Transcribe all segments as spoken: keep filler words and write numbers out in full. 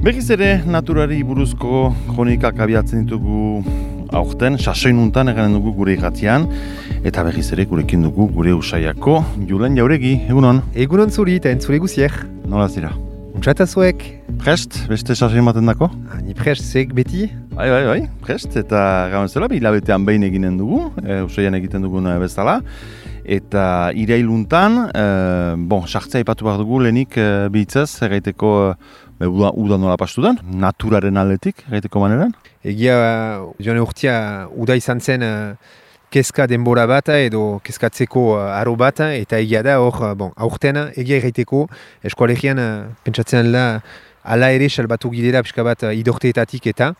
Berriz ere, naturari buruzko kronikak abiatzen ditugu aurten, sasoinuntan eganen dugu gure irratian, eta berriz ere gurekin dugu gure usaiako Julen Jauregi, egunon? Egunon zuri eta entzule guziek. Nola zira? Untsata zuek. Prest, beste sasoin baten dako? Ni prest, zeg beti? Bai, bai, bai, prest, eta gauen zela, hilabetean behin eginen dugu, e, usaian egiten dugun bezala. Eta irailuntan, e, bon, sartzea ipatu behar dugu, lehenik e, bihitzez, erraiteko e, uda, uda nola pastu den, naturaren aldetik, erraiteko maneran. Egia, joan urtia, uda izan zen uh, kezka denbora bat edo kezkatzeko uh, aro bat, eta egia da, hor, uh, bon, aurten, egia erraiteko, eskualegian uh, pentsatzen da, ala ere salbatu gidera pixka bat uh, idorteetatik eta,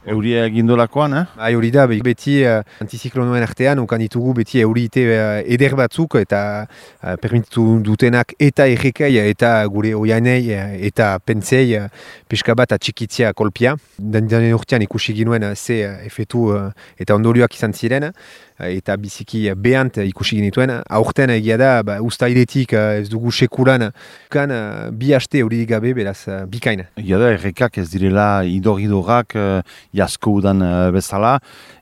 Euria egindolakoan, eh? Bai, hori da, beti uh, antiziklonoen artean, ukan ditugu beti eurite uh, eder batzuk eta uh, permititu dutenak eta errekai eta gure oianei uh, eta pentsei uh, pixka bat atxikitzea kolpia. Den urtean ikusi ginuen uh, ze uh, efetu uh, eta ondorioak izan ziren, uh, eta biziki uh, behant uh, ikusi genituen. Aurten egia da, ba, ustailetik uh, ez dugu sekulan, kan uh, bi haste hori gabe, beraz, uh, bikain. Egia da, errekak ez direla idor-idorak, uh, jasko udan uh, bezala,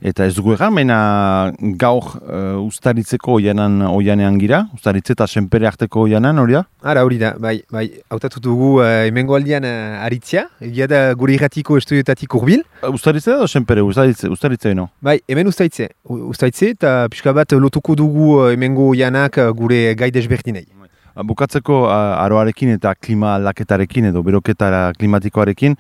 eta ez dugu egan, baina gaur uh, ustaritzeko oianan oianean gira, ustaritze eta senpere arteko oianan, hori da? Ara, hori da, bai, bai, hautatu dugu uh, emengo aldian uh, aritzia, egia da gure irratiko estudioetatik urbil. Uh, ustaritze da, senpere, ustaritze, ustaritze eno? Bai, hemen ustaitze, ustaitze, eta pixka bat lotuko dugu uh, emengo oianak uh, gure gai desberdinei. Bukatzeko aroarekin eta klima aldaketarekin edo beroketara klimatikoarekin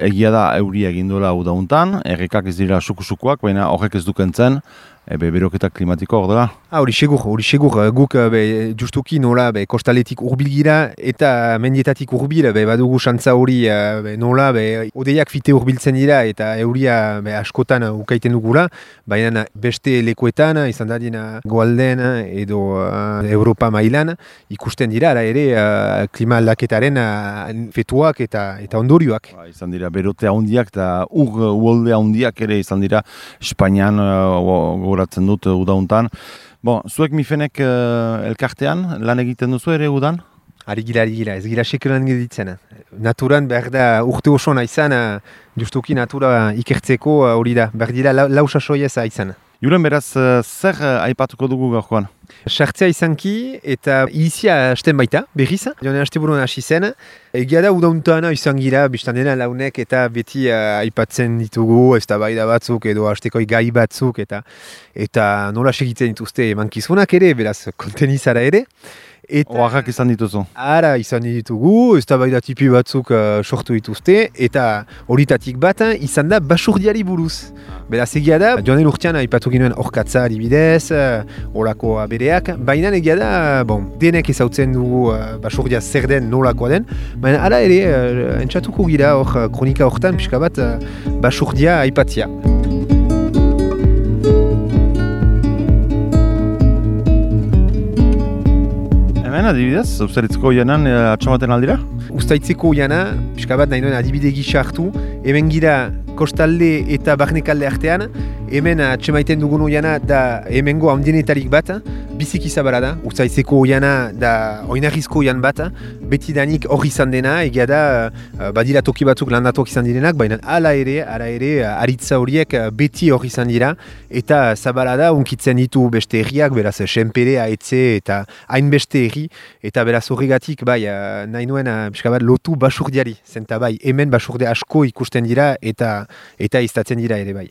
egia da euria egindola udauntan, errekak ez dira suku-sukuak, baina horrek ez dukentzen, ebe beroketa klimatikoa hor dela? Ah, hori segur, hori segur, guk be, justuki nola be, kostaletik urbil gira eta mendietatik urbil be, badugu xantza hori be, nola be, odeiak fite urbiltzen dira eta euria be, askotan ukaiten dugula, baina beste lekuetan, izan da dina goalden edo uh, Europa mailan, ikusten dira, ara ere uh, klima aldaketaren uh, fetuak eta, eta ondorioak. Ba, izan dira berote handiak eta ur uolde handiak ere izan dira Espainian uh, goratzen dut udauntan. Bon, zuek mifenek uh, elkartean lan egiten duzu ere udan? Ari gira, ari gira, ez gira sekelan geditzen. Naturan behar da urte oso izan, uh, justuki natura ikertzeko hori uh, da, behar dira lau, lau sasoiez izan. Julen, beraz, uh, zer uh, aipatuko dugu gaurkoan? Sartzea izanki eta izia hasten baita, berriz, joan hasteburuan hasi zen. Egia da udauntana izan gira, biztan dena launek eta beti uh, aipatzen ditugu, ez da baida batzuk edo hastekoi gai batzuk eta eta nola segitzen dituzte emankizunak ere, beraz, kontenizara ere. Oaxak izan dituzu? Ara izan ditugu, ez da baida tipi batzuk uh, sortu dituzte, eta horitatik bat izan da basurdiari buruz. Beraz egia da, joan den urtean aipatu ginuen orkatza adibidez, horako uh, bereak, baina egia da, bon, denek ezautzen dugu uh, basurdia zer den nolakoa den, baina ala ere, uh, entzatuko gira hor kronika hortan pixka bat uh, basurdia aipatzia. Hemen adibidez, Ustaritzeko oianan e, atxamaten aldira? Ustaitzeko oiana, pixka bat nahi duen adibide gisa hartu, hemen gira kostalde eta barnekalde artean, hemen atxemaiten dugun oiana da hemengo handienetarik bat, biziki zabara da, Ustaitzeko oiana da oinarrizko oian bat, beti danik hori izan dena, egia da badira toki batzuk landatuak izan direnak, baina ala ere, ala ere, aritza horiek beti hori izan dira, eta zabara da, unkitzen ditu beste herriak, beraz, senpere, aetze eta hainbeste herri, eta beraz horregatik, bai, nahi nuen, pixka bat, lotu basurdiari, zenta bai, hemen basurde asko ikusten dira, eta eta iztatzen dira ere bai.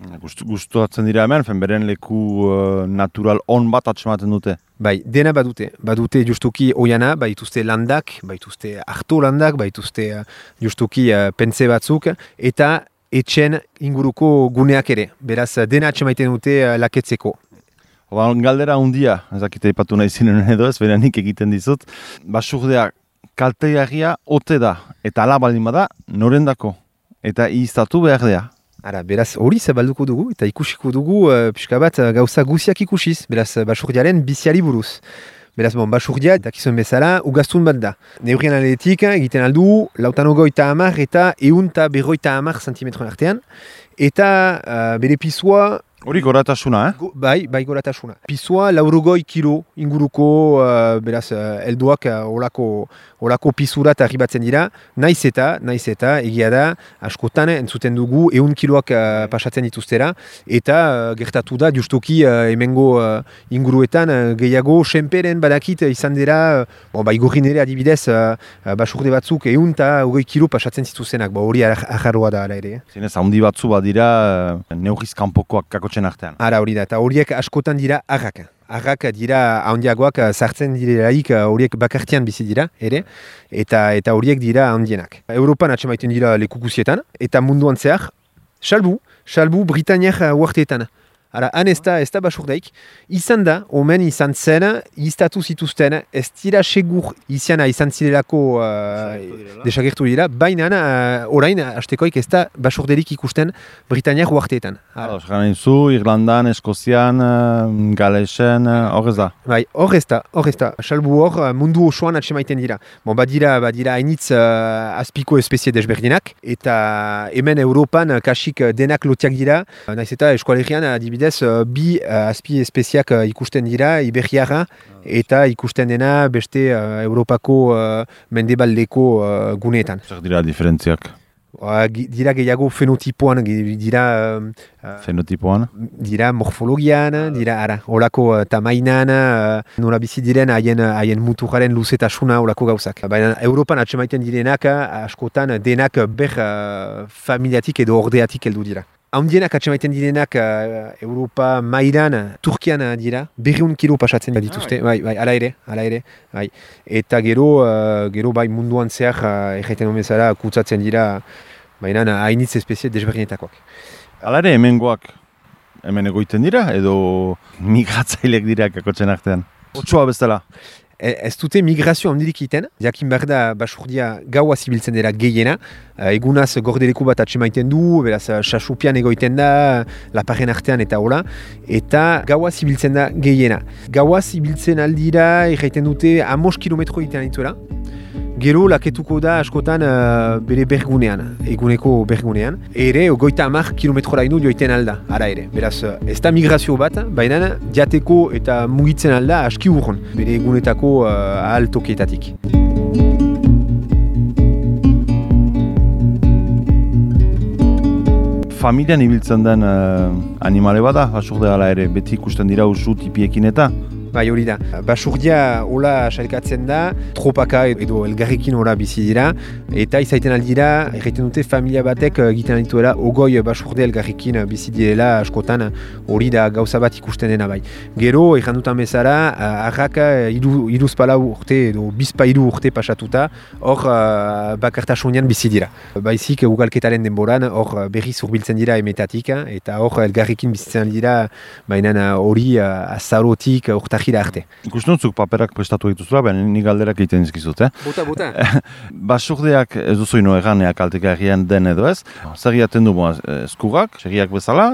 Gustuatzen dira hemen, fenberen leku uh, natural on bat atxematen dute? Bai, dena badute. Badute justuki oiana, baituzte landak, baituzte harto landak, baituzte uh, justuki uh, pentze batzuk, eta etxen inguruko guneak ere. Beraz, dena atxemaiten dute uh, laketzeko. Oban, galdera hundia, ezakite ipatu nahi zinen edo ez, beranik egiten dizut. Basurdea kalteagia ote da, eta ala baldin bada, norendako, eta iztatu behar dea. Ara, beraz, hori zabalduko dugu, eta ikusiko dugu, uh, pixka bat, uh, gauza guziak ikusiz, beraz, basurdiaren biziari buruz. Beraz, bon, basurdia, dakizuen bezala, ugaztun bat da. Neurrien aletik, egiten aldu, lautanogoita hamar eta eun eta berroita hamar zentimetron artean, eta uh, bere pisua Hori goratasuna, eh? Go, bai, bai goratasuna. Pisua laurogoi kilo inguruko, uh, beraz, uh, elduak uh, olako, olako pisurat arribatzen dira, naiz eta, naiz eta, egia da, askotan entzuten dugu, ehun kiloak uh, pasatzen dituztera, eta uh, gertatu da, justuki uh, hemengo uh, inguruetan uh, gehiago senperen badakit izan dira, uh, bon, bai gorrin ere adibidez, uh, uh, basurde batzuk ehun eta hogei kilo pasatzen zituzenak, bo, hori ajarroa da ala ere. Zinez, handi batzu badira uh, neurriz kanpokoak kakotxen artean. Ara hori da, eta horiek askotan dira arrak. Arrak dira handiagoak sartzen direlaik horiek bakartian bizi dira, ere, eta eta horiek dira handienak. Europan atxemaiten dira lekukuzietan, eta munduan zehar, salbu, salbu Britaniak uarteetan. Ara, han ez da, ez da basurdaik, izan da, omen izan zen, iztatu zituzten, ez dira segur iziana izan zirelako uh, desagertu dira, baina uh, orain, hastekoik ez da basurderik ikusten Britaniak uarteetan. Gana zu, Irlandan, Eskozian, Galesen, hor ez da? Bai, hor ez da, hor ez da. Salbu hor mundu osoan atxemaiten dira. Bon, badira, badira hainitz uh, azpiko espezie desberdinak, eta hemen Europan kasik denak lotiak dira, naiz eta eskualerian adibidez, bi uh, azpi espeziak uh, ikusten dira, Iberiara, eta ikusten dena beste uh, Europako uh, mendebaldeko uh, guneetan. Zer dira diferentziak? Uh, dira gehiago fenotipoan, dira... Uh, Fenotipoan? Dira morfologian, dira ara, olako uh, tamainan, uh, nola bizi diren haien, haien muturaren luzetasuna olako gauzak. Baina Europan atxemaiten direnak, askotan denak ber uh, familiatik edo ordeatik heldu dira. Handienak atxemaiten direnak uh, Europa mailan, Turkian dira, berriun kilo pasatzen dituzte, bai, bai, ala ere, ala ere, bai. Eta gero, uh, gero bai munduan zehar, uh, erraiten omezara, kutsatzen dira, baina hainitz espezie desberdinetakoak. Hala ere, hemengoak hemen egoiten dira, edo migratzailek dira kakotzen artean? Otsoa bezala? Ez dute migrazio handirik iten, jakin behar da basurdia gaua zibiltzen dira gehiena, egunaz gordeleku bat atxemaiten du, beraz sasupian egoiten da, laparen artean eta hola, eta gaua zibiltzen da gehiena. Gaua zibiltzen aldira, erraiten dute, amos kilometro iten dituela, gero laketuko da askotan uh, bere bergunean, eguneko bergunean, ere goita hamar kilometroraino joiten alda, ara ere. Beraz, ez da migrazio bat, baina jateko eta mugitzen alda aski urron, bere egunetako uh, ahal tokietatik. Familian ibiltzen den uh, animale bada, basurde hala ere, beti ikusten dira usu tipiekin eta? Bai hori da. Basurdia hola sailkatzen da, tropaka edo elgarrekin hola bizi dira, eta izaiten aldira, erraiten dute familia batek egiten dituela ogoi basurde elgarrekin bizi direla askotan hori da gauza bat ikusten dena bai. Gero, errandutan bezala, arrak iruz pala urte edo bizpa iru urte pasatuta, hor uh, bakartasunean bizi dira. Baizik ugalketaren denboran, hor berriz urbiltzen dira emetatik, eta hor elgarrekin bizitzen dira, baina hori uh, azarotik urtar arte. Ikustuntzuk paperak prestatu dituzula, baina ni galderak egiten dizkizut, eh? Bota, bota. Basurdeak ez duzu ino eganeak kaltegarrian den edo ez. Zer egiten du eskurrak, segiak bezala,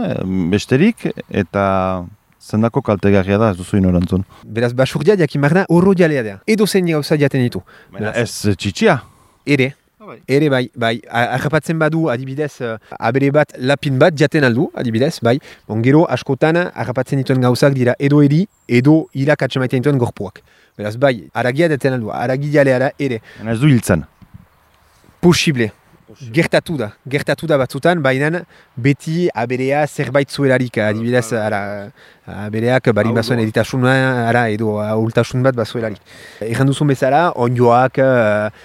besterik, eta zendako kaltegarria da ez duzu ino erantzun. Beraz, basurdia jakin marna horro jalea da. Edo zein gauza jaten ditu. Baina ez txitsia? Ere. Ere bai, bai, harrapatzen badu adibidez abere bat lapin bat jaten aldu, adibidez, bai, bon, gero askotan harrapatzen dituen gauzak dira edo eri, edo irak atxemaiten dituen gorpuak. Beraz, bai, haragia jaten aldu, haragi jalea da ere. Ez du hiltzen? Posible. Gertatu da, gertatu da batzutan, baina beti aberea zerbait zuelarik, adibidez, ara, abereak bari bazuen editasuna, ara, edo ahultasun bat bazuelarik. Egan duzun bezala, onjoak,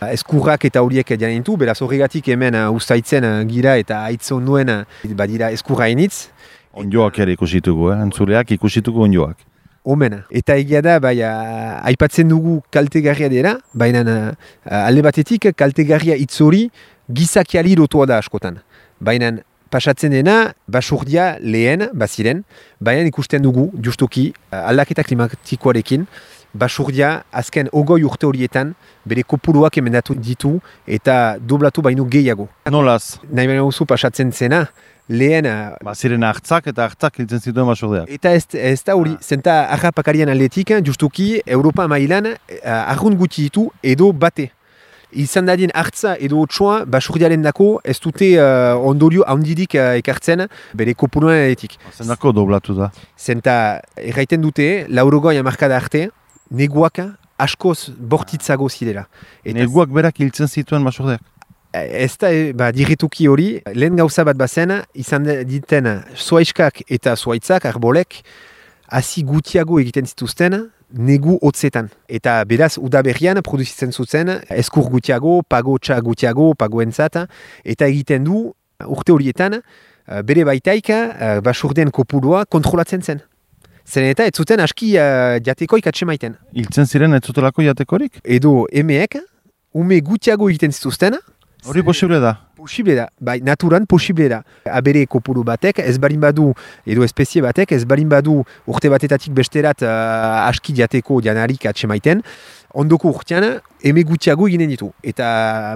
eskurrak eta horiek janen ditu, beraz horregatik hemen ustaitzen gira eta aitzon nuen badira eskurra initz. Onjoak ere ikusitugu, eh? Entzuleak ikusitugu onjoak. Omen. Eta egia da, bai, aipatzen dugu kaltegarria dira, baina alde batetik kaltegarria hitz hori gizakiali lotua da askotan. Baina pasatzen dena, basurdia lehen, baziren, baina ikusten dugu, justuki, aldaketa klimatikoarekin, basurdia azken ogoi urte horietan, bere kopuruak emendatu ditu eta doblatu baino gehiago. Nolaz? Nahi baina guzu pasatzen zena, lehen... Baziren hartzak eta hartzak hiltzen zituen basurdeak. Eta ez, ez da hori, zenta harrapakarian aldetik, justuki, Europa mailan, arrun guti ditu edo bate. izan dadien hartza edo otsoa basurdiaren dako ez dute uh, ondorio handirik uh, ekartzen bere kopuruen eretik. Zendako doblatu da? Zenta erraiten dute, laurogoi hamarkada arte, neguak askoz bortitzago zirela. Eta Neguak berak hiltzen zituen basurdeak? ez da, ba, dirituki hori, lehen gauza bat bazen, izan diten zuaiskak eta zuaitzak, arbolek, hasi gutiago egiten zituzten, negu hotzetan. Eta beraz, udaberrian produzitzen zuten, eskur gutiago, pago txa gutiago, pagoentzat, eta egiten du, urte horietan, bere baitaik, basurdeen kopurua kontrolatzen zen. Zen eta ez zuten aski uh, jatekoik atsemaiten. Hiltzen ziren ez zutelako jatekorik? Edo emeek, ume gutiago egiten zituzten, Hori posible da? Posible da, bai, naturan posible da. Abere kopuru batek, ez balin badu, edo espezie batek, ez balin badu urte batetatik besterat uh, aski jateko janarik atsemaiten, ondoko urtean, eme gutiago eginen ditu. Eta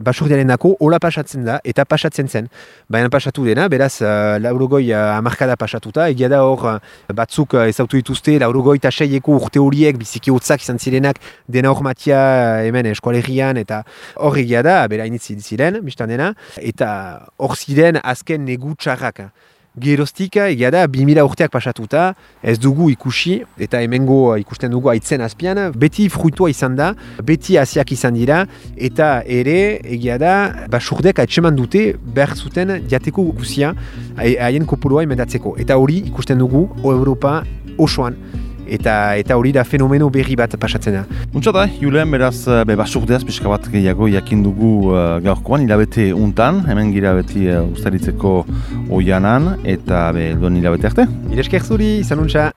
basurdiaren dako, hola pasatzen da, eta pasatzen zen. Baina pasatu dena, beraz, uh, laurogoi uh, amarkada pasatuta, egia da hor uh, batzuk uh, ezautu dituzte, laurogoi eta seieko urte horiek, biziki hotzak izan zirenak, dena hor matia uh, hemen eskualerian, eta hor egia da, bera initzi ziren, biztan dena, eta hor ziren azken negu txarrak. Geroztik, egia da, bi mila urteak pasatuta, ez dugu ikusi, eta hemengo ikusten dugu aitzen azpian, beti fruitua izan da, beti hasiak izan dira, eta ere, egia da, basurdek atseman dute behar zuten jateko guzia haien kopurua emendatzeko. Eta hori ikusten dugu, o Europa osoan. Eta eta hori da fenomeno berri bat pasatzen da. Untsa da, Julen, beraz, be, basurdeaz pixka bat gehiago jakin dugu uh, gaurkoan, hilabete untan, hemen gira beti uh, ustaritzeko oianan, eta be, duen hilabete arte. Iresker zuri, izan untsa.